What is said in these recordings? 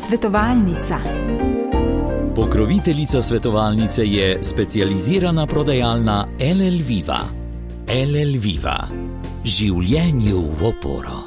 Svetovalnica. Pokroviteljica svetovalnice je specializirana prodajalna LL Viva. LL Viva. Življenju v oporo.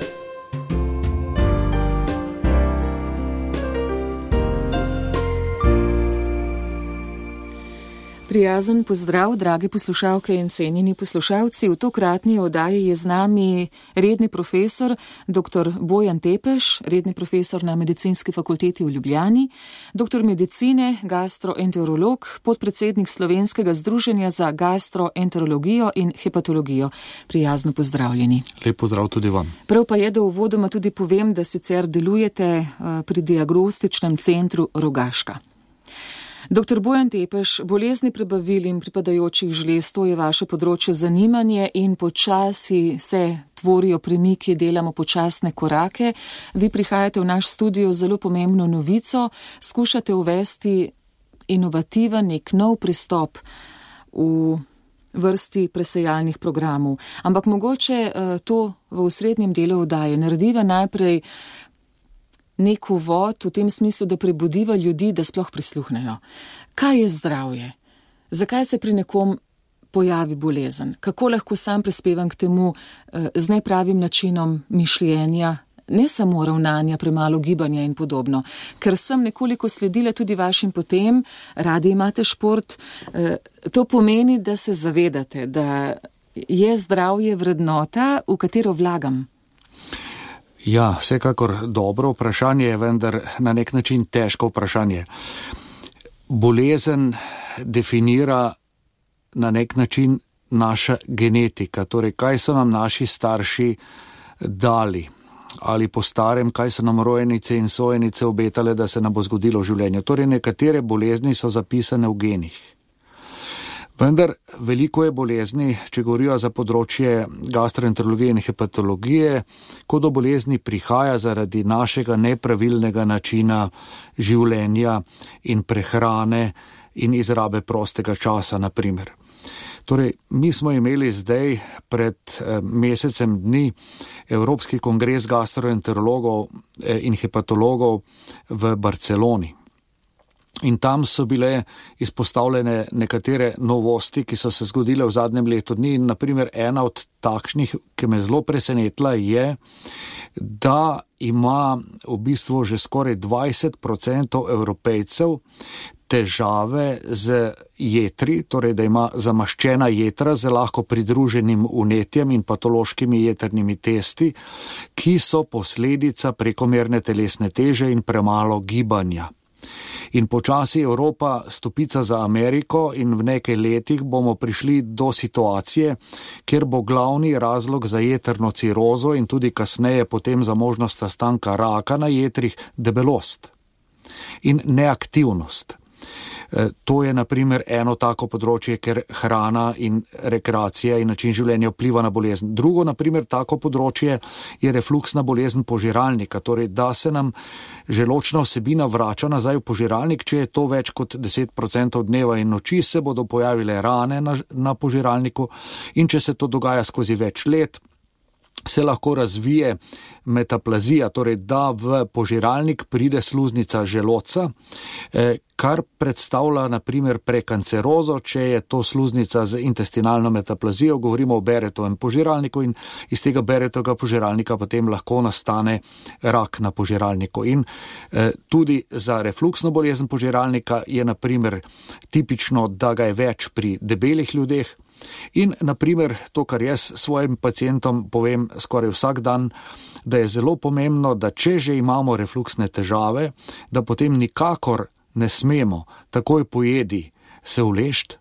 Prijazen pozdrav, drage poslušalke in cenjeni poslušalci. V tokratni oddaji je z nami redni profesor dr. Bojan Tepeš, redni profesor na Medicinski fakulteti v Ljubljani, doktor medicine, gastroenterolog, podpredsednik Slovenskega združenja za gastroenterologijo in hepatologijo. Prijazno pozdravljeni. Lep pozdrav tudi vam. Prav pa je, da uvodoma tudi povem, da sicer delujete pri diagnostičnem centru Rogaška. Dr. Bojan Tepeš, bolezni prebavil in pripadajočih žlez, to je vaše področje zanimanje in počasi se tvorijo premiki, delamo počasne korake. Vi prihajate v naš studio z zelo pomembno novico, skušate uvesti inovativen, nek nov pristop v vrsti presejalnih programov. Ampak mogoče to v osrednjem delu oddaje narediva najprej nek uvod v tem smislu, da prebudiva ljudi, da sploh prisluhnejo. Kaj je zdravje? Zakaj se pri nekom pojavi bolezen? Kako lahko sam prispevam k temu z nepravim načinom mišljenja, ne samo ravnanja, premalo gibanja in podobno? Ker sem nekoliko sledila tudi vašim potem, radi imate šport, to pomeni, da se zavedate, da je zdravje vrednota, v katero vlagam. Ja, vsekakor dobro vprašanje, vendar na nek način težko vprašanje. Bolezen definira na nek način naša genetika, torej kaj so nam naši starši dali ali po starem, kaj so nam rojenice in sojenice obetale, da se nam bo zgodilo v življenju. Torej nekatere bolezni so zapisane v genih. Vendar veliko je bolezni, če govorijo za področje gastroenterologije in hepatologije, ko do bolezni prihaja zaradi našega nepravilnega načina življenja in prehrane in izrabe prostega časa, na primer. Torej, mi smo imeli zdaj pred mesecem dni Evropski kongres gastroenterologov in hepatologov v Barceloni. In tam so bile izpostavljene nekatere novosti, ki so se zgodile v zadnjem letu dni. In naprimer ena od takšnih, ki me zelo presenetila, je, da ima v bistvu že skoraj 20% Evropejcev težave z jetri, torej da ima zamaščena jetra z lahko pridruženim vnetjem in patološkimi jetrnimi testi, ki so posledica prekomerne telesne teže in premalo gibanja. In počasi Evropa stopica za Ameriko in v nekaj letih bomo prišli do situacije, kjer bo glavni razlog za jetrno cirozo in tudi kasneje potem za možnost nastanka raka na jetrih debelost in neaktivnost. To je na primer eno tako področje, ker hrana in rekreacija in način življenja vpliva na bolezen. Drugo, na primer, tako področje je refluksna bolezen požiralnika, torej da se nam želočna vsebina vrača nazaj v požiralnik, če je to več kot 10% dneva in noči, se bodo pojavile rane na požiralniku in če se to dogaja skozi več let, se lahko razvije metaplazija, torej da v požiralnik pride sluznica želodca, kar predstavlja na primer prekancerozo, če je to sluznica z intestinalno metaplazijo, govorimo o Barrettovem požiralniku in iz tega Barrettovega požiralnika potem lahko nastane rak na požiralniku. In tudi za refluksno bolezen požiralnika je na primer tipično, da ga je več pri debelih ljudeh. In naprimer to, kar jaz svojim pacientom povem skoraj vsak dan, da je zelo pomembno, da če že imamo refluksne težave, da potem nikakor ne smemo takoj po jedi se uležt,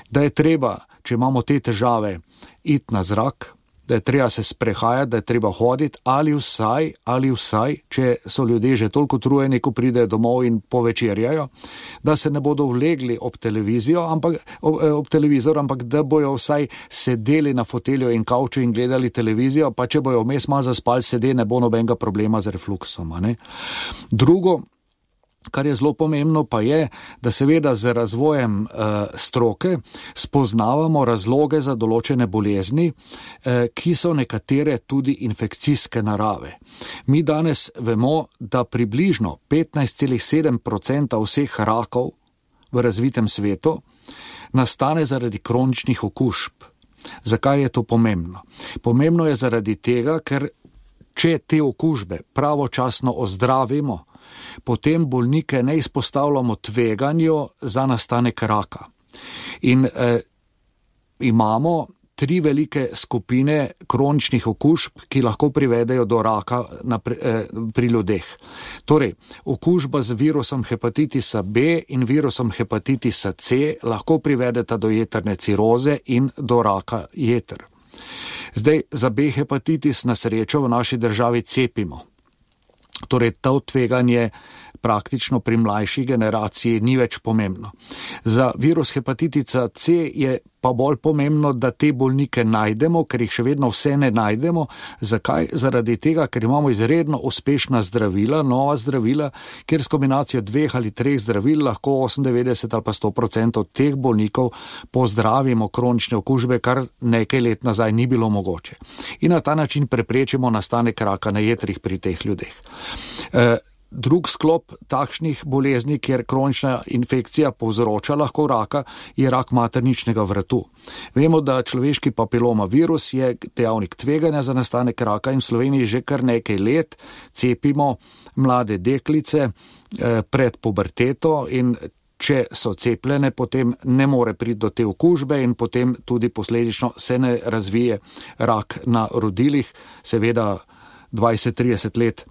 da je treba, če imamo te težave, iti na zrak, da je treba se sprehajati, da je treba hoditi ali vsaj, če so ljudje že toliko utrujeni, ko pridejo domov in povečerjajo, da se ne bodo vlegli ob televizor, ampak da bojo vsaj sedeli na fotelju in kavču in gledali televizijo, pa če bojo vmes malo zaspali sede, ne bo nobenega problema z refluksom. Drugo, Kar je zelo pomembno pa je, da seveda z razvojem stroke spoznavamo razloge za določene bolezni, ki so nekatere tudi infekcijske narave. Mi danes vemo, da približno 15,7% vseh rakov v razvitem svetu nastane zaradi kroničnih okužb. Zakaj je to pomembno? Pomembno je zaradi tega, ker če te okužbe pravočasno ozdravimo, potem bolnike ne izpostavljamo tveganju za nastanek raka. In imamo 3 velike skupine kroničnih okužb, ki lahko privedejo do raka pri ljudeh. Torej, okužba z virusom hepatitisa B in virusom hepatitisa C lahko privedeta do jetrne ciroze in do raka jeter. Zdaj, za B hepatitis na srečo v naši državi cepimo. Torej, to tveganje praktično pri mlajši generaciji ni več pomembno. Za virus hepatitisa C je pa bolj pomembno, da te bolnike najdemo, ker jih še vedno vse ne najdemo. Zakaj? Zaradi tega, ker imamo izredno uspešna zdravila, nova zdravila, kjer s kombinacijo 2 ali 3 zdravil lahko 98 ali pa 100% teh bolnikov pozdravimo kronične okužbe, kar nekaj let nazaj ni bilo mogoče. In na ta način preprečimo nastanek raka na jetrih pri teh ljudeh. Drug sklop takšnih bolezni, kjer kronična infekcija povzroča lahko raka, je rak materničnega vratu. Vemo, da človeški papiloma virus je dejavnik tveganja za nastanek raka in v Sloveniji že kar nekaj let cepimo mlade deklice pred puberteto in če so cepljene, potem ne more priti do te okužbe in potem tudi posledično se ne razvije rak na rodilih, seveda 20-30 let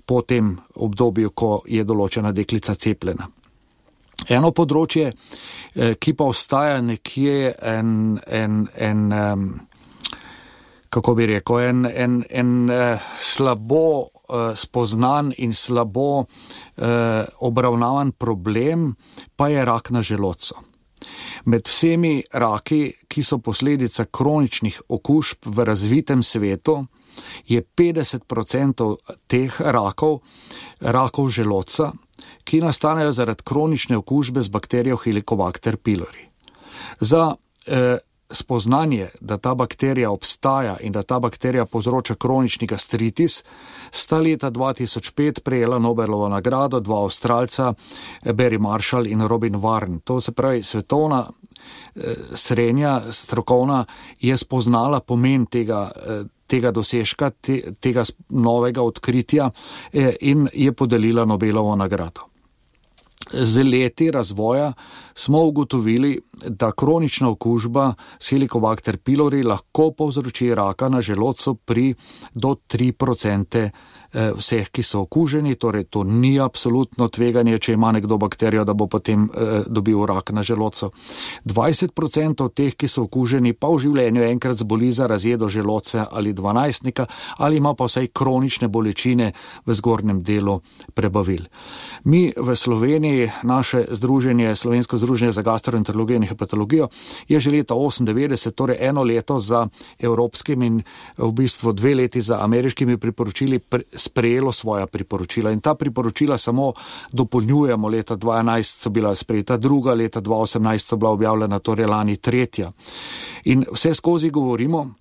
po tem obdobju, ko je določena deklica cepljena. Eno področje, ki pa ostaja nekje slabo spoznan in slabo obravnavan problem, pa je rak na želodcu. Med vsemi raki, ki so posledica kroničnih okužb v razvitem svetu, je 50% teh rakov želodca, ki nastanejo zaradi kronične okužbe z bakterijo Helicobacter pylori. Za spoznanje, da ta bakterija obstaja in da ta bakterija povzroča kronični gastritis, sta leta 2005 prejela Nobelovo nagrado 2 Avstralca, Barry Marshall in Robin Warren. To se pravi, svetovna srednja strokovna je spoznala pomen tega dosežka, tega novega odkritja in je podelila Nobelovo nagrado. Z leti razvoja smo ugotovili, da kronična okužba s Helicobacter pylori lahko povzroči raka na želodcu pri do 3% vseh, ki so okuženi, torej to ni absolutno tveganje, če ima nekdo bakterijo, da bo potem dobil rak na želodcu. 20% teh, ki so okuženi, pa v življenju enkrat zboli za razjedo želodca ali 12-nika ali ima pa vsaj kronične bolečine v zgornjem delu prebavil. Mi v Sloveniji, naše združenje, Slovensko združenje za gastroenterologijo in hepatologijo, je že leta 1998, torej 1 leto za evropskim in v bistvu 2 leti za ameriškimi priporočili sprejelo svoja priporočila in ta priporočila samo dopolnjujemo. Leta 2011 so bila sprejeta 2, leta 2018 so bila objavljena, torej lani 3. In vse skozi govorimo,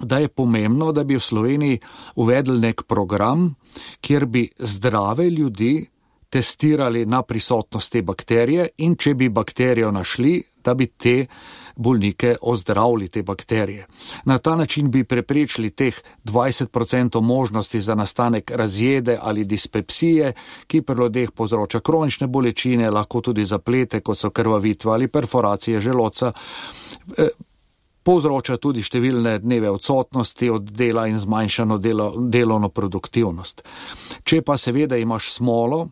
da je pomembno, da bi v Sloveniji uvedli nek program, kjer bi zdrave ljudi testirali na prisotnost te bakterije in če bi bakterijo našli, da bi te bolnike ozdravili te bakterije. Na ta način bi preprečili teh 20% možnosti za nastanek razjede ali dispepsije, ki pri ljudeh povzroča kronične bolečine, lahko tudi zaplete, kot so krvavitve ali perforacije želodca, povzroča tudi številne dneve odsotnosti od dela in zmanjšano delovno produktivnost. Če pa seveda imaš smolo,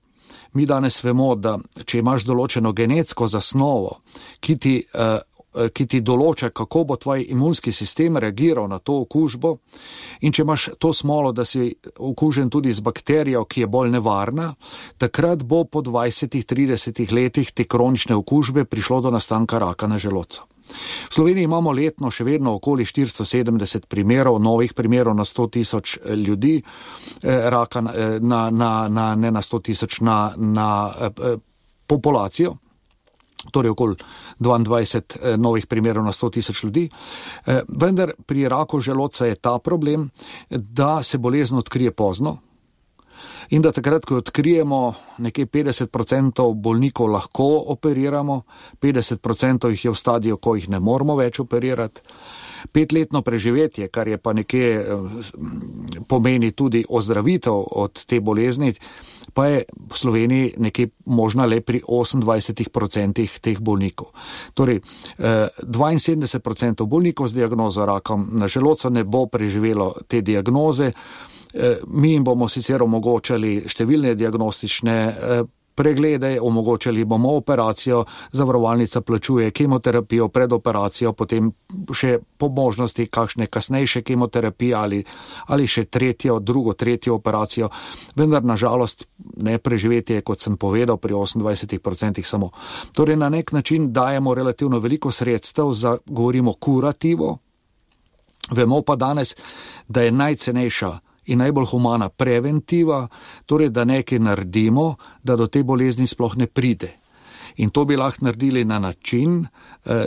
mi danes vemo, da če imaš določeno genetsko zasnovo, ki ti ki ti določa, kako bo tvoj imunski sistem reagiral na to okužbo, in če imaš to smolo, da si okužen tudi z bakterijo, ki je bolj nevarna, takrat bo po 20-30 letih te kronične okužbe prišlo do nastanka raka na želodcu. V Sloveniji imamo letno še vedno okoli 470 primerov, novih primerov na 100 000 ljudi, raka ne na 100 000, na populacijo, torej okoli 22 novih primerov na 100 000 ljudi. Vendar pri raku želodca je ta problem, da se bolezen odkrije pozno, in da takrat, ko odkrijemo, nekaj 50% bolnikov lahko operiramo, 50% jih je v stadiju, ko jih ne moramo več operirati. 5-letno preživetje, kar je pa nekje pomeni tudi ozdravitev od te bolezni, pa je v Sloveniji nekaj možna le pri 28% teh bolnikov. Torej, 72% bolnikov z diagnozo rakom na želodcu ne bo preživelo te diagnoze. Mi jim bomo sicer omogočali številne diagnostične preglede, omogočali bomo operacijo, zavarovalnica plačuje kemoterapijo pred operacijo, potem še po možnosti kakšne kasnejše kemoterapije ali še drugo, tretjo operacijo, vendar nažalost ne preživetje, kot sem povedal, pri 28% samo. Torej na nek način dajemo relativno veliko sredstev za, govorimo, kurativo. Vemo pa danes, da je najcenejša in najbolj humana preventiva, torej da nekaj naredimo, da do te bolezni sploh ne pride. In to bi lahko naredili na način,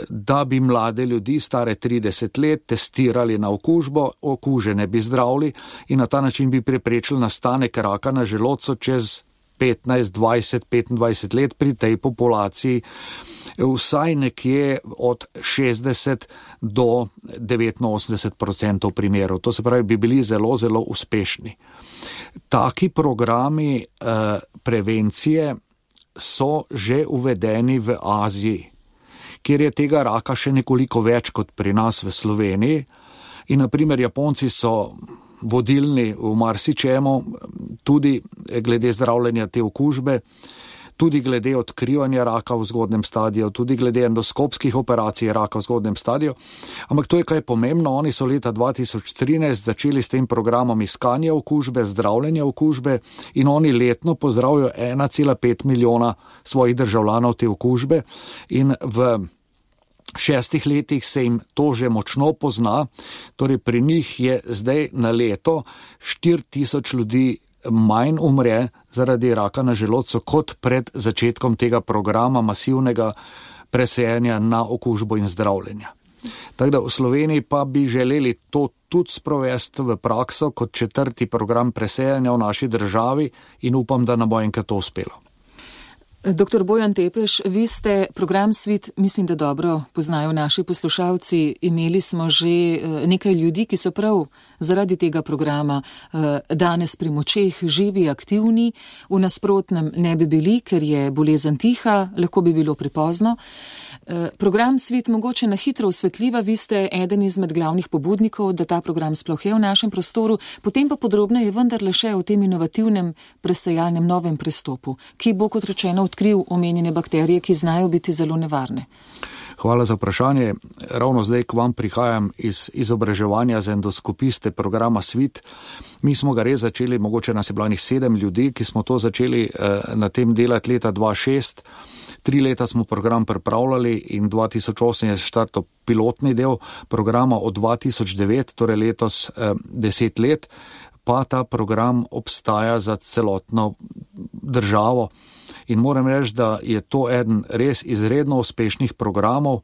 da bi mlade ljudi, stare 30 let, testirali na okužbo, okužene bi zdravili in na ta način bi preprečili nastanek raka na želodcu čez 15, 20, 25 let pri tej populaciji, vsaj nekje od 60 do 89% primerov. To se pravi, bi bili zelo, zelo uspešni. Taki programi prevencije so že uvedeni v Aziji, kjer je tega raka še nekoliko več kot pri nas v Sloveniji. In naprimer Japonci so vodilni v marsičemu, tudi glede zdravljenja te okužbe, tudi glede odkrivanja raka v zgodnem stadiju, tudi glede endoskopskih operacij raka v zgodnem stadiju. Ampak to je kaj pomembno, oni so leta 2013 začeli s tem programom iskanja okužbe, zdravljenja okužbe in oni letno pozdravijo 1,5 milijona svojih državljanov te okužbe in v 6 letih se jim to že močno pozna, torej pri njih je zdaj na leto 4000 ljudi manj umre zaradi raka na želodcu kot pred začetkom tega programa masivnega presajenja na okužbo in zdravljenja. Tako da v Sloveniji pa bi želeli to tudi sprovesti v prakso kot 4. program presajanja v naši državi in upam, da nam bo enkrat to uspelo. Dr. Bojan Tepeš, vi ste program Svit, mislim, da dobro poznajo naši poslušalci. Imeli smo že nekaj ljudi, ki so prav zaradi tega programa danes pri močeh, živi, aktivni, v nasprotnem ne bi bili, ker je bolezen tiha, lahko bi bilo prepozno. Program Svit mogoče na hitro osvetljiva, vi ste eden izmed glavnih pobudnikov, da ta program sploh je v našem prostoru, potem pa podrobneje vendarle še o tem inovativnem presajalnem novem pristopu, ki bo, kot rečeno, odkril omenjene bakterije, ki znajo biti zelo nevarne. Hvala za vprašanje. Ravno zdaj k vam prihajam iz izobraževanja za endoskopiste programa Svit. Mi smo ga res začeli, mogoče nas je bilo 7 ljudi, ki smo to začeli na tem delati leta 2006. 3 leta smo program pripravljali in 2008 je štartal pilotni del programa od 2009, torej letos 10 let, pa ta program obstaja za celotno državo. In moram reči, da je to eden res izredno uspešnih programov.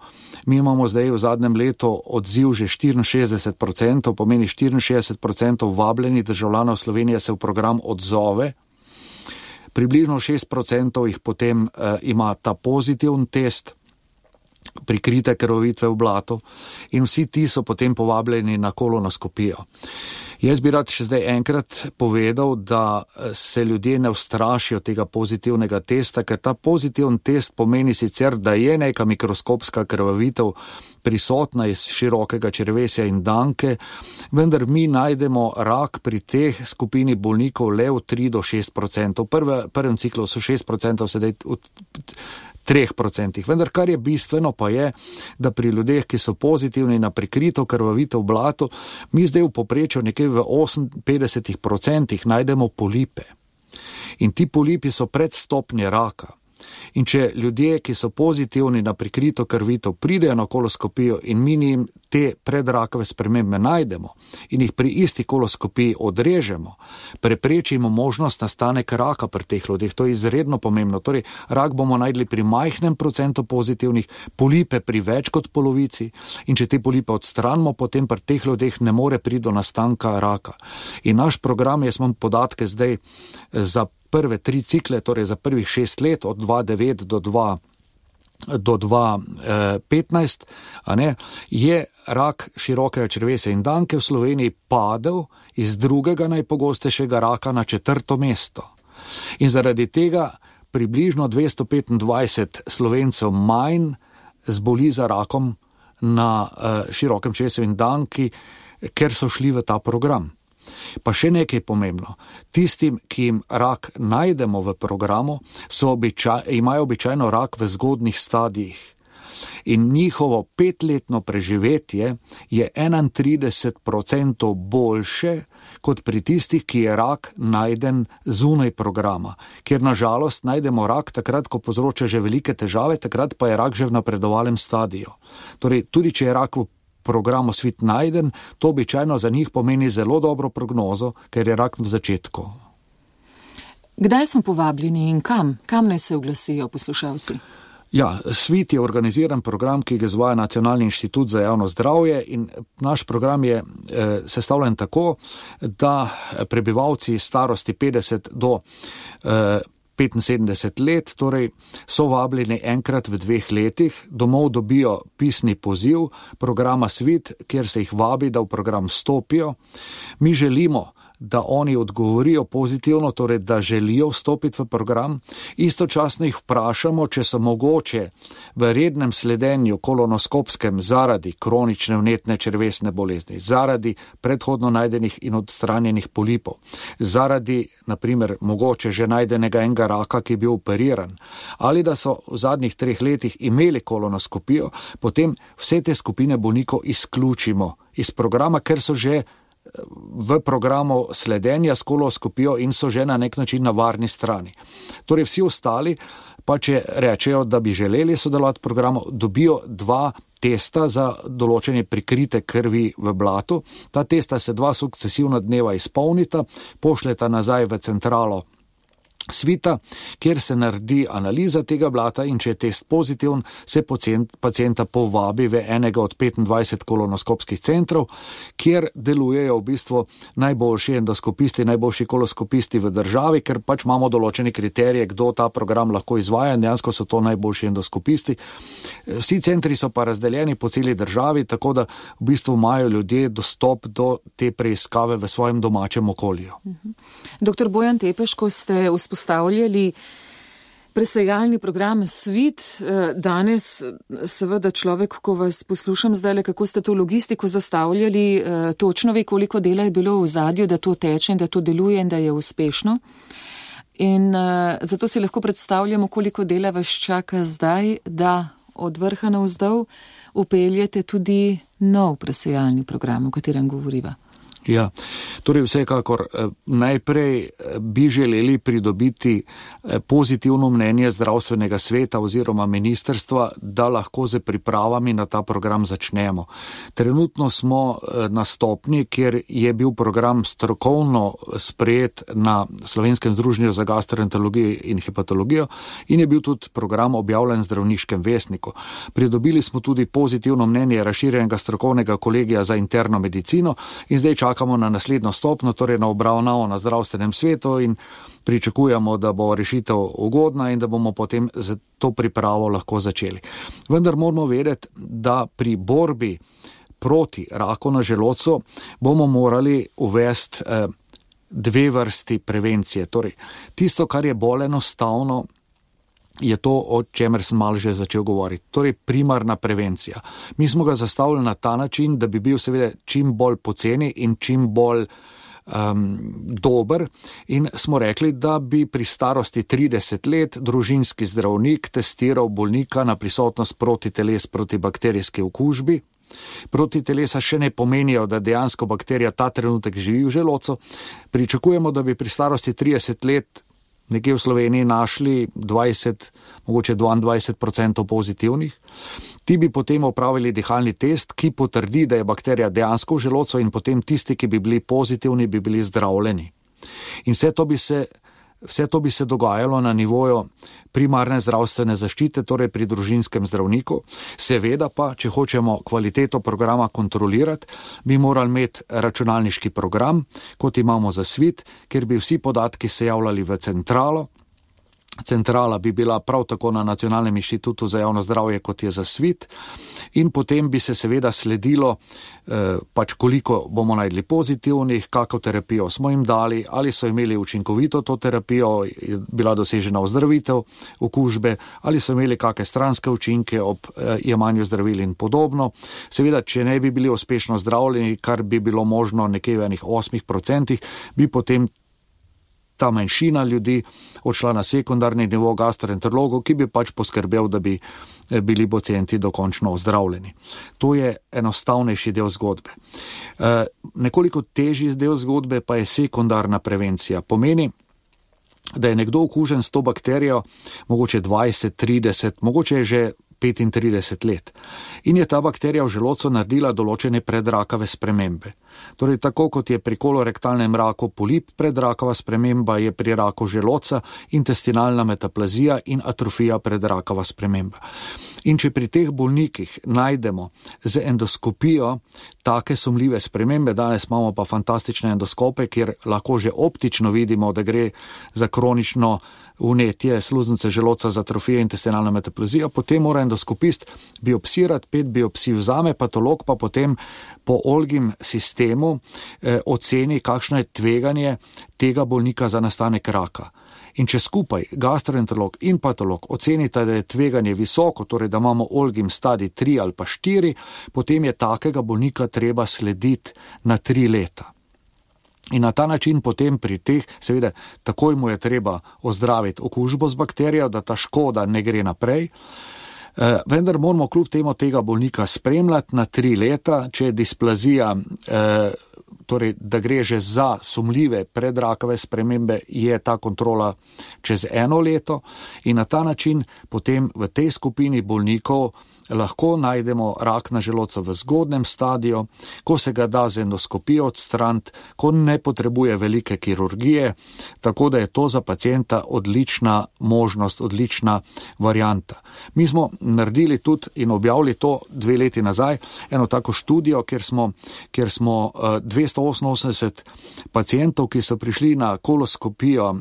Mi imamo zdaj v zadnjem letu odziv že 64%, pomeni 64% vabljenih državljanov Slovenije se v program odzove. Približno 6% jih potem ima ta pozitiven test, prikrite krvavitve v blatu in vsi ti so potem povabljeni na kolonoskopijo. Jaz bi rad še zdaj enkrat povedal, da se ljudje ne ustrašijo tega pozitivnega testa, ker ta pozitiven test pomeni sicer, da je neka mikroskopska krvavitev prisotna iz širokega črevesja in danke, vendar mi najdemo rak pri teh skupini bolnikov le v 3 do 6%. V prvem ciklu so 6%, sedaj 3%. Vendar kar je bistveno pa je, da pri ljudeh, ki so pozitivni na prikrito krvavitev v blatu, mi zdaj v povprečju nekje v 58% najdemo polipe. In ti polipi so predstopnje raka. In če ljudje, ki so pozitivni na prikrito krvitev, pridejo na koloskopijo in mi jim te predrakave spremembe najdemo in jih pri isti koloskopiji odrežemo, preprečimo možnost nastanek raka pri teh ljudeh. To je izredno pomembno. Torej, rak bomo najdli pri majhnem procentu pozitivnih, polipe pri več kot polovici in če te polipe odstranimo, potem pri teh ljudeh ne more priti do nastanka raka. In naš program, jaz imam podatke zdaj za prve 3 cikle, torej za prvih 6 let, od 2009 do 2015, je rak širokega črevesja in danke v Sloveniji padel iz drugega najpogostejšega raka na 4. mesto. In zaradi tega približno 225 Slovencev manj zboli za rakom na širokem črevesju in danki, ker so šli v ta program. Pa še nekaj pomembno. Tistim, ki jim rak najdemo v programu, imajo običajno rak v zgodnih stadijih. In njihovo 5-letno preživetje je 31% boljše kot pri tistih, ki je rak najden zunaj programa. Ker na žalost najdemo rak takrat, ko povzroča že velike težave, takrat pa je rak že v napredovalnem stadiju. Torej, tudi če je rak v programu Svit najden, to običajno za njih pomeni zelo dobro prognozo, ker je rak v začetku. Kdaj smo povabljeni in kam? Kam naj se oglasijo poslušalci? Ja, Svit je organiziran program, ki ga izvaja Nacionalni inštitut za javno zdravje in naš program je sestavljen tako, da prebivalci starosti 50 do 75 let, torej so vabljeni enkrat v 2 letih, domov dobijo pisni poziv programa Svit, kjer se jih vabi, da v program stopijo. Mi želimo, da oni odgovorijo pozitivno, torej da želijo vstopiti v program. Istočasno jih vprašamo, če so mogoče v rednem sledenju kolonoskopskem zaradi kronične vnetne črevesne bolezni, zaradi predhodno najdenih in odstranjenih polipov, zaradi, naprimer, mogoče že najdenega enega raka, ki je bil operiran, ali da so v zadnjih 3 letih imeli kolonoskopijo, potem vse te skupine bolnikov izključimo iz programa, ker so že v programu sledenja s kolonoskopijo in so že na nek način na varni strani. Torej vsi ostali, pa če rečejo, da bi želeli sodelovati v programu, dobijo 2 testa za določenje prikrite krvi v blatu. Ta testa se 2 sukcesivna dneva izpolnita, pošljeta nazaj v centralo Svita, kjer se naredi analiza tega blata in če je test pozitiven, se pacienta povabi v enega od 25 kolonoskopskih centrov, kjer delujejo v bistvu najboljši endoskopisti, najboljši kolonoskopisti v državi, ker pač imamo določene kriterije, kdo ta program lahko izvaja, dejansko so to najboljši endoskopisti. Vsi centri so pa razdeljeni po celi državi, tako da v bistvu imajo ljudje dostop do te preiskave v svojem domačem okolju. Dr. Bojan Tepeš, ko ste vzpostavljali presejalni program Svit, danes seveda človek, ko vas poslušam zdaj, kako ste to logistiko zastavljali, točno ve, koliko dela je bilo v zadju, da to teče in da to deluje in da je uspešno. In zato si lahko predstavljamo, koliko dela vas čaka zdaj, da od vrha navzdol upeljete tudi nov presejalni program, o katerem govoriva. Ja, torej vsekakor najprej bi želeli pridobiti pozitivno mnenje zdravstvenega sveta oziroma ministrstva, da lahko z pripravami na ta program začnemo. Trenutno smo na stopni, kjer je bil program strokovno sprejet na Slovenskem združenju za gastroenterologijo in hepatologijo in je bil tudi program objavljen v Zdravniškem vestniku. Pridobili smo tudi pozitivno mnenje razširjenega strokovnega kolegija za interno medicino in zdaj čakamo na naslednjo stopno, torej na obravnavo na zdravstvenem svetu in pričakujemo, da bo rešitev ugodna in da bomo potem z to pripravo lahko začeli. Vendar moramo vedeti, da pri borbi proti raku na želodcu bomo morali uvesti 2 vrsti prevencije. Torej, tisto, kar je bolj enostavno, je to, o čemer sem malo že začel govoriti. Torej, primarna prevencija. Mi smo ga zastavili na ta način, da bi bil seveda čim bolj poceni in čim bolj dober in smo rekli, da bi pri starosti 30 let družinski zdravnik testiral bolnika na prisotnost protiteles proti bakterijski okužbi. Protitelesa še ne pomenijo, da dejansko bakterija ta trenutek živi v želodcu. Pričakujemo, da bi pri starosti 30 let nekje v Sloveniji našli 20, mogoče 22% pozitivnih. Ti bi potem opravili dihalni test, ki potrdi, da je bakterija dejansko v želodcu in potem tisti, ki bi bili pozitivni, bi bili zdravljeni. In vse to bi se dogajalo na nivoju primarne zdravstvene zaščite, torej pri družinskem zdravniku. Seveda pa, če hočemo kvaliteto programa kontrolirati, bi morali imeti računalniški program, kot imamo za SWIT, kjer bi vsi podatki se javljali v centralo. Centrala bi bila prav tako na Nacionalnem inštitutu za javno zdravje, kot je za SWIT, in potem bi se seveda sledilo, koliko bomo najdli pozitivnih, kakšno terapijo smo jim dali, ali so imeli učinkovito to terapijo, je bila dosežena ozdravitev okužbe, ali so imeli kakšne stranske učinke ob jemanju zdravil in podobno. Seveda, če ne bi bili uspešno zdravljeni, kar bi bilo možno nekje v enih 8%, bi potem ta manjšina ljudi odšla na sekundarni nivo gastroenterologov, ki bi poskrbel, da bi bili pacienti dokončno ozdravljeni. To je enostavnejši del zgodbe. Nekoliko težji del zgodbe pa je sekundarna prevencija. Pomeni, da je nekdo okužen s to bakterijo mogoče 20, 30, mogoče je že 35 let. In je ta bakterija v želodcu naredila določene predrakave spremembe. Torej, tako kot je pri kolorektalnem raku polip predrakava sprememba, je pri raku želodca intestinalna metaplazija in atrofija predrakava sprememba. In če pri teh bolnikih najdemo z endoskopijo take sumljive spremembe, danes imamo pa fantastične endoskope, kjer lahko že optično vidimo, da gre za kronično vnetje sluznice želodca z atrofijo intestinalna metaplazija, potem mora endoskopist biopsirati, 5 biopsij vzame, patolog pa potem po Olgim sistemu oceni, kakšno je tveganje tega bolnika za nastanek raka. In če skupaj gastroenterolog in patolog ocenita, da je tveganje visoko, torej da imamo Olgim stadij 3 ali pa 4, potem je takega bolnika treba slediti na 3 leta. In na ta način potem pri teh, seveda, takoj mu je treba ozdraviti okužbo z bakterijo, da ta škoda ne gre naprej. Vendar moramo kljub temu tega bolnika spremljati na 3 leta, če je displazija, torej da gre že za sumljive predrakave spremembe, je ta kontrola čez 1 leto in na ta način potem v tej skupini bolnikov lahko najdemo rak na želodcu v zgodnem stadiju, ko se ga da z endoskopijo odstraniti, ko ne potrebuje velike kirurgije, tako da je to za pacienta odlična možnost, odlična varianta. Mi smo naredili tudi in objavili to 2 leti nazaj, eno tako študijo, kjer smo 288 pacientov, ki so prišli na koloskopijo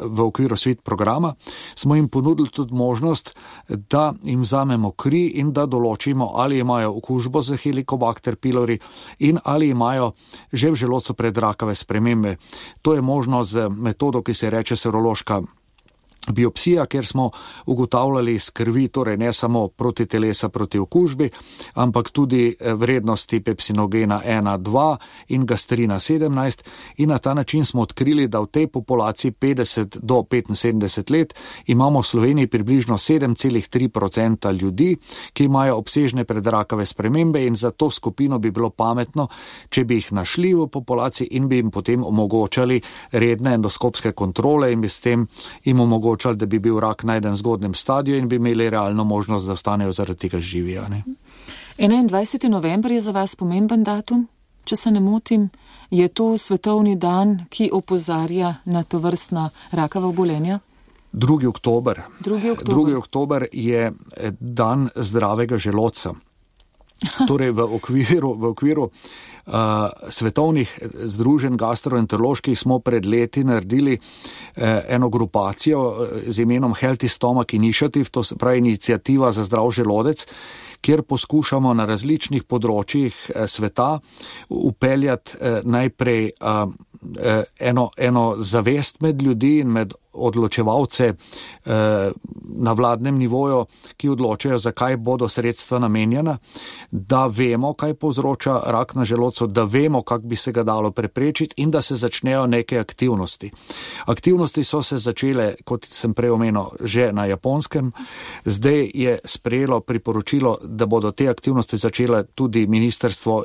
v okviru SWIT programa, smo jim ponudili tudi možnost, da jim vzamemo kri in da določimo, ali imajo okužbo z Helicobacter pylori in ali imajo že v želodcu predrakave spremembe. To je možno z metodo, ki se reče serološka biopsija, kjer smo ugotavljali iz krvi, torej ne samo protitelesa proti okužbi, ampak tudi vrednosti pepsinogena 1, 2 in gastrina 17 in na ta način smo odkrili, da v tej populaciji 50 do 75 let imamo v Sloveniji približno 7,3% ljudi, ki imajo obsežne predrakave spremembe in za to skupino bi bilo pametno, če bi jih našli v populaciji in bi jim potem omogočali redne endoskopske kontrole in bi s tem jim omogočali, da bi bil rak najden v zgodnem stadiju in bi imeli realno možnost, da ostanejo zaradi tega živi. 21. november je za vas pomemben datum, če se ne motim. Je to svetovni dan, ki opozarja na tovrstna rakava obolenja? 2. oktober. 2. oktober je dan zdravega želodca. Torej v okviru svetovnih združenj gastroenteroloških smo pred leti naredili eno grupacijo z imenom Healthy Stomach Initiative, to se pravi iniciativa za zdrav želodec, kjer poskušamo na različnih področjih sveta upeljati najprej eno zavest med ljudi in med odločevalce na vladnem nivoju, ki odločajo, zakaj bodo sredstva namenjena, da vemo, kaj povzroča rak na želodcu, da vemo, kako bi se ga dalo preprečiti in da se začnejo neke aktivnosti. Aktivnosti so se začele, kot sem prej omenil, že na Japonskem. Zdaj je sprejelo priporočilo, da bodo te aktivnosti začele tudi ministrstvo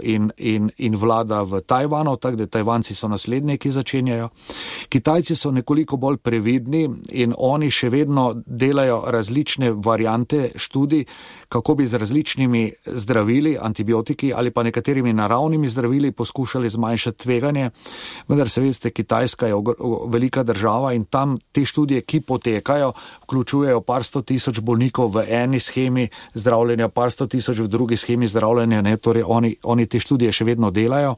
in vlada v Tajvanu, tako da Tajvanci so naslednji, ki začenjajo. Kitajci so nekoliko bolj previdni in oni še vedno delajo različne variante študij, kako bi z različnimi zdravili, antibiotiki ali pa nekaterimi naravnimi zdravili poskušali zmanjšati tveganje. Vendar se veste, Kitajska je velika država in tam te študije, ki potekajo, vključujejo par 100 000 bolnikov v eni shemi zdravljenja, par 100 000 v drugi shemi zdravljenja, ne, torej oni te študije še vedno delajo.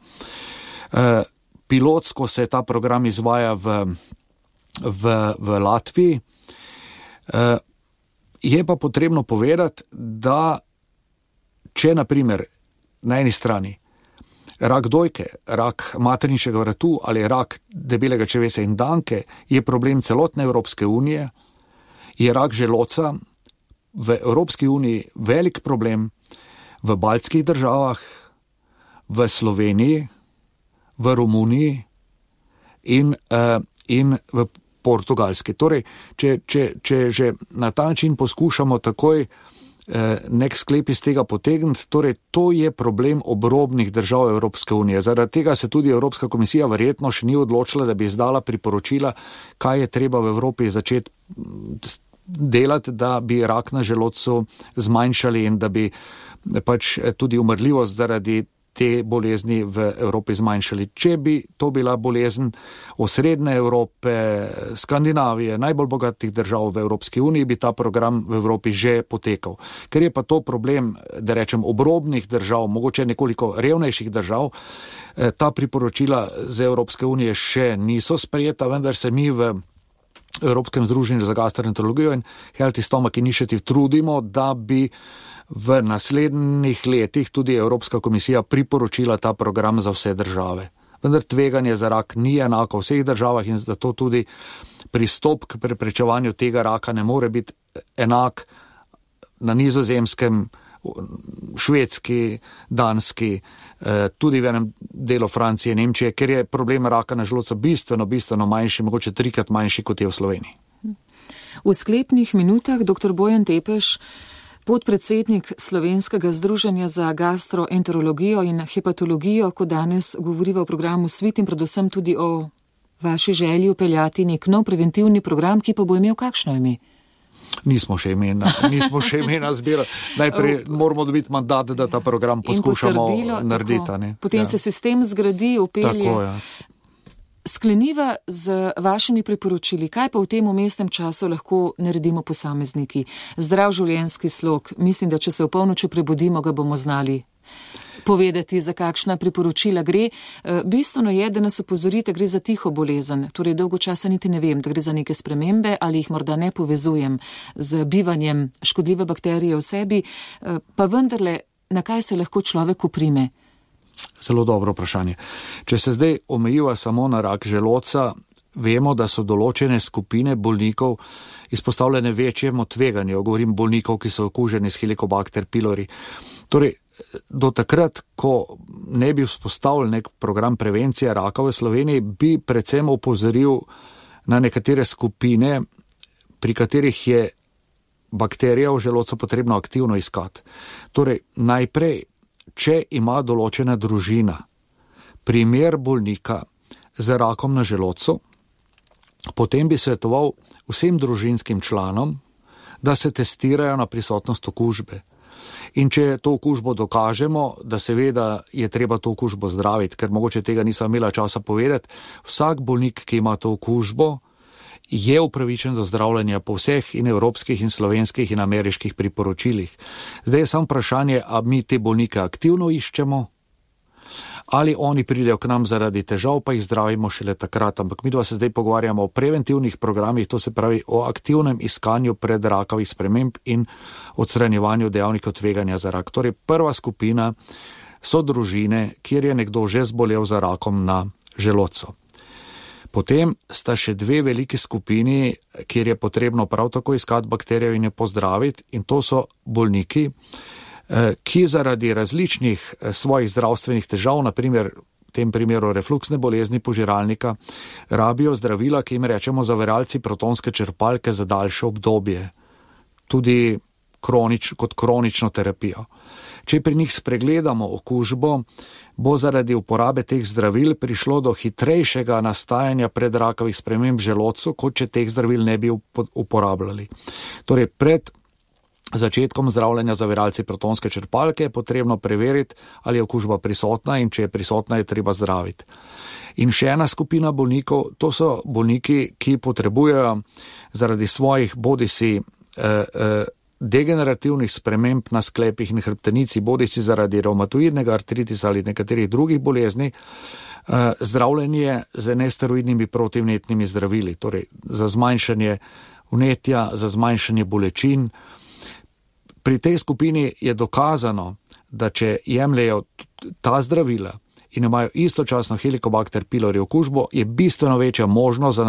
Pilotsko se ta program izvaja v Latviji. Je pa potrebno povedati, da če naprimer na eni strani rak dojke, rak materničnega vratu ali rak debelega črevesa in danke je problem celotne Evropske unije, je rak želodca v Evropski uniji velik problem v baltskih državah, v Sloveniji, v Romuniji in v Portugalski. Torej, če že na ta način poskušamo takoj nek sklep iz tega potegniti, torej to je problem obrobnih držav Evropske unije. Zaradi tega se tudi Evropska komisija verjetno še ni odločila, da bi izdala priporočila, kaj je treba v Evropi začeti delati, da bi rak na želodcu zmanjšali in da bi pač tudi umrljivost zaradi te bolezni v Evropi zmanjšali. Če bi to bila bolezen osrednje Evrope, Skandinavije, najbolj bogatih držav v Evropski uniji, bi ta program v Evropi že potekal. Ker je pa to problem, da rečem, obrobnih držav, mogoče nekoliko revnejših držav, ta priporočila z Evropske unije še niso sprejeta, vendar se mi v Evropskem združenju za gastroenterologijo in Healthy Stomach Initiative trudimo, da bi v naslednjih letih tudi Evropska komisija priporočila ta program za vse države. Vendar tveganje za rak ni enako v vseh državah in zato tudi pristop k preprečevanju tega raka ne more biti enak na Nizozemskem, Švedski, Danski, tudi v enem delu Francije, Nemčije, ker je problem raka na želodcu bistveno manjši, mogoče 3-krat manjši, kot je v Sloveniji. V sklepnih minutah dr. Bojan Tepeš, podpredsednik Slovenskega združenja za gastroenterologijo in hepatologijo, ko danes govoriva o programu SWIT in predvsem tudi o vaši želji upeljati nek nov preventivni program, ki pa bo imel kakšno ime? Nismo še imena zbirali. Najprej moramo dobiti mandat, da ta program poskušamo narediti. Potem se sistem zgradi, upelje. Tako, ja. Skleniva z vašimi priporočili, kaj pa v tem umestnem času lahko naredimo posamezniki? Zdrav življenjski slog, mislim, da če se v polnoči prebudimo, ga bomo znali povedati, za kakšna priporočila gre. Bistveno je, da nas opozorite, gre za tiho bolezen, torej dolgo časa niti ne vem, da gre za neke spremembe ali jih morda ne povezujem z bivanjem škodljive bakterije v sebi, pa vendarle, na kaj se lahko človek uprime? Zelo dobro vprašanje. Če se zdaj omejiva samo na rak želodca, vemo, da so določene skupine bolnikov izpostavljene večjemu tveganju. Govorim bolnikov, ki so okuženi s Helicobacter pylori. Torej, do takrat, ko ne bi vzpostavili nek program prevencije raka v Sloveniji, bi predvsem opozoril na nekatere skupine, pri katerih je bakterija v želodcu potrebno aktivno iskati. Torej, najprej, če ima določena družina primer bolnika z rakom na želodcu, potem bi svetoval vsem družinskim članom, da se testirajo na prisotnost okužbe. In če to okužbo dokažemo, da seveda je treba to okužbo zdraviti, ker mogoče tega nisem imela časa povedati, vsak bolnik, ki ima to okužbo, je upravičen do zdravljenja po vseh in evropskih in slovenskih in ameriških priporočilih. Zdaj je samo vprašanje, a mi te bolnike aktivno iščemo, ali oni pridejo k nam zaradi težav, pa jih zdravimo šele takrat. Ampak mi dva se zdaj pogovarjamo o preventivnih programih, to se pravi o aktivnem iskanju predrakavih sprememb in odstranjevanju dejavnikov tveganja za rak. Torej, prva skupina so družine, kjer je nekdo že zbolel za rakom na želodcu. Potem sta še dve veliki skupini, kjer je potrebno prav tako iskati bakterijo in jo pozdraviti, in to so bolniki, ki zaradi različnih svojih zdravstvenih težav, naprimer v tem primeru refluksne bolezni požiralnika, rabijo zdravila, ki jim rečemo zaviralci protonske črpalke za daljše obdobje, tudi kot kronično terapijo. Če pri njih spregledamo okužbo, bo zaradi uporabe teh zdravil prišlo do hitrejšega nastajanja predrakavih sprememb želodcu, kot če teh zdravil ne bi uporabljali. Torej, pred začetkom zdravljenja zaviralci protonske črpalke je potrebno preveriti, ali je okužba prisotna, in če je prisotna, je treba zdraviti. In še ena skupina bolnikov, to so bolniki, ki potrebujejo zaradi svojih bodisi degenerativnih sprememb na sklepih in hrbtenici, bodisi zaradi revmatoidnega artritisa ali nekaterih drugih bolezni, zdravljenje z nesteroidnimi protivnetnimi zdravili, torej za zmanjšanje vnetja, za zmanjšanje bolečin. Pri tej skupini je dokazano, da če jemljejo ta zdravila in imajo istočasno Helicobacter pylori okužbo, je bistveno večja možnost za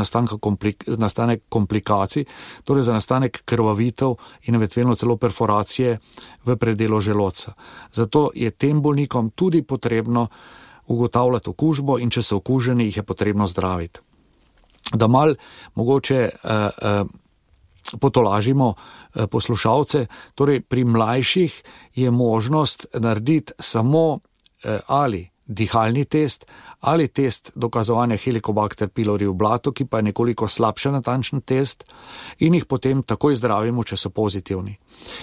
nastanek komplikacij, torej za nastanek krvavitev in eventualno celo perforacije v predelu želodca. Zato je tem bolnikom tudi potrebno ugotavljati okužbo, in če so okuženi, jih je potrebno zdraviti. Da mal mogoče potolažimo poslušalce, torej pri mlajših je možnost narediti samo ali dihalni test ali test dokazovanja Helicobacter pylori v blatu, ki pa je nekoliko slabše natančen test, in jih potem takoj zdravimo, če so pozitivni.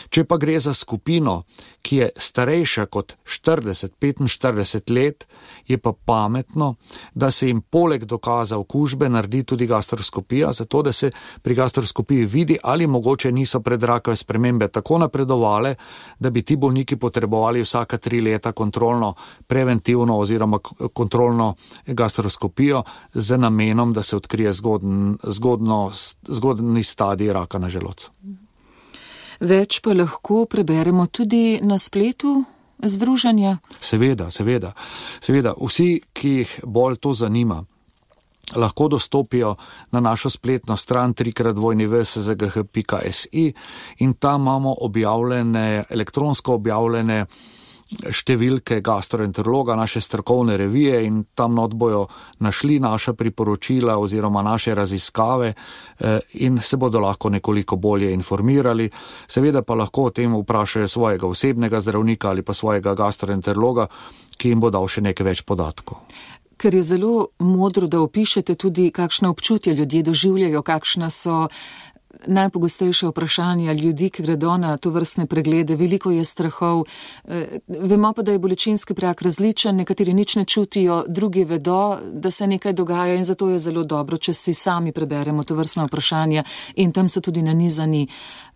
Če pa gre za skupino, ki je starejša kot 40-45 let, je pa pametno, da se jim poleg dokaza okužbe naredi tudi gastroskopija, zato da se pri gastroskopiji vidi, ali mogoče niso predrakave spremembe tako napredovale, da bi ti bolniki potrebovali vsaka 3 leta kontrolno, preventivno oziroma kontrolno gastroskopijo z namenom, da se odkrije zgodni stadij raka na želodcu. Več pa lahko preberemo tudi na spletu združenja? Seveda. Vsi, ki jih bolj to zanima, lahko dostopijo na našo spletno stran www.szgh.si in tam imamo elektronsko objavljene številke gastroenterologa, naše strokovne revije, in tam not bojo našli naša priporočila oziroma naše raziskave in se bodo lahko nekoliko bolje informirali. Seveda pa lahko o tem vprašajo svojega osebnega zdravnika ali pa svojega gastroenterologa, ki jim bo dal še nekaj več podatkov. Ker je zelo modro, da opišete tudi, kakšna občutja ljudje doživljajo, kakšna so najpogostejše vprašanja ljudi, ki gredo na to vrstne preglede. Veliko je strahov. Vemo pa, da je bolečinski prag različen, nekateri nič ne čutijo, drugi vedo, da se nekaj dogaja, in zato je zelo dobro, če si sami preberemo to vrstna vprašanja, in tam so tudi nanizani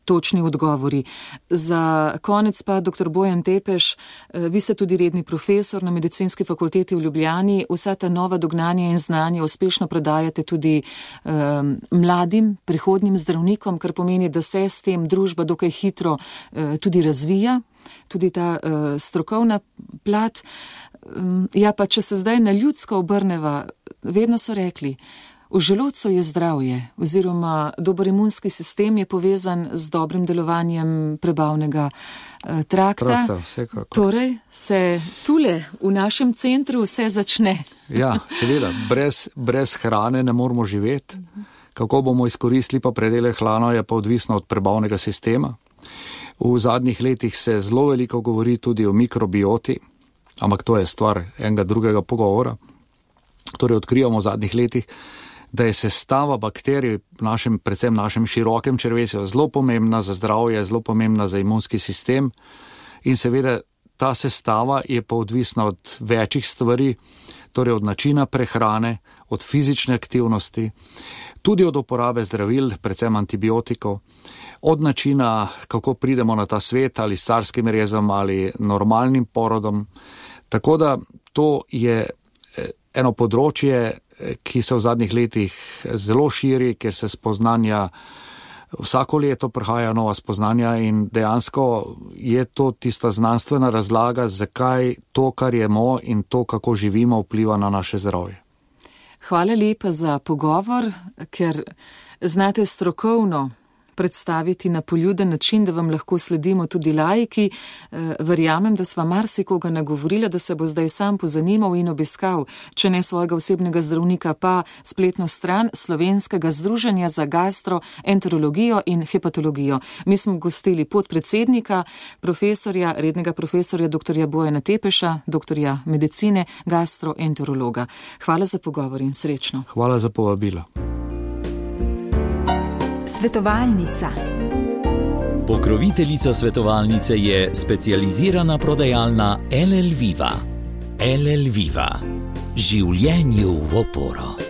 točni odgovori. Za konec pa, dr. Bojan Tepeš, vi ste tudi redni profesor na Medicinski fakulteti v Ljubljani. Vsa ta nova dognanja in znanja uspešno predajate tudi mladim, prihodnjim zdravnikom, kar pomeni, da se s tem družba dokaj hitro tudi razvija, tudi ta strokovna plat. Ja, pa če se zdaj na ljudsko obrneva, vedno so rekli, v želodcu je zdravje, oziroma dober imunski sistem je povezan z dobrim delovanjem prebavnega trakta. Torej se tule v našem centru vse začne. Ja, seveda, brez hrane ne moramo živeti. Kako bomo izkoristili pa predele hrano, je pa odvisno od prebavnega sistema. V zadnjih letih se zelo veliko govori tudi o mikrobioti, ampak to je stvar enega drugega pogovora. Torej odkrivamo v zadnjih letih, da je sestava bakterij predvsem našem širokem črevesju zelo pomembna za zdravje, zelo pomembna za imunski sistem, in seveda ta sestava je pa odvisna od večjih stvari, torej od načina prehrane, od fizične aktivnosti, tudi od uporabe zdravil, predvsem antibiotikov, od načina, kako pridemo na ta svet, ali s carskim rezom ali normalnim porodom. Tako da to je eno področje, ki se v zadnjih letih zelo širi, ker se spoznanja, vsako leto prihaja nova spoznanja, in dejansko je to tista znanstvena razlaga, zakaj to, kar jemo in to, kako živimo, vpliva na naše zdravje. Hvala lepa za pogovor, ker znate strokovno predstaviti na poljuden način, da vam lahko sledimo tudi laiki. Verjamem, da sva marsikoga nagovorila, da se bo zdaj sam pozanimal in obiskal, če ne svojega osebnega zdravnika, pa spletno stran Slovenskega združenja za gastroenterologijo in hepatologijo. Mi smo gostili podpredsednika, rednega profesorja dr. Bojana Tepeša, doktorja medicine, gastroenterologa. Hvala za pogovor in srečno. Hvala za povabilo. Svetovalnica. Pokroviteljica svetovalnice je specializirana prodajalna LL Viva. LL Viva. Življenju v oporo.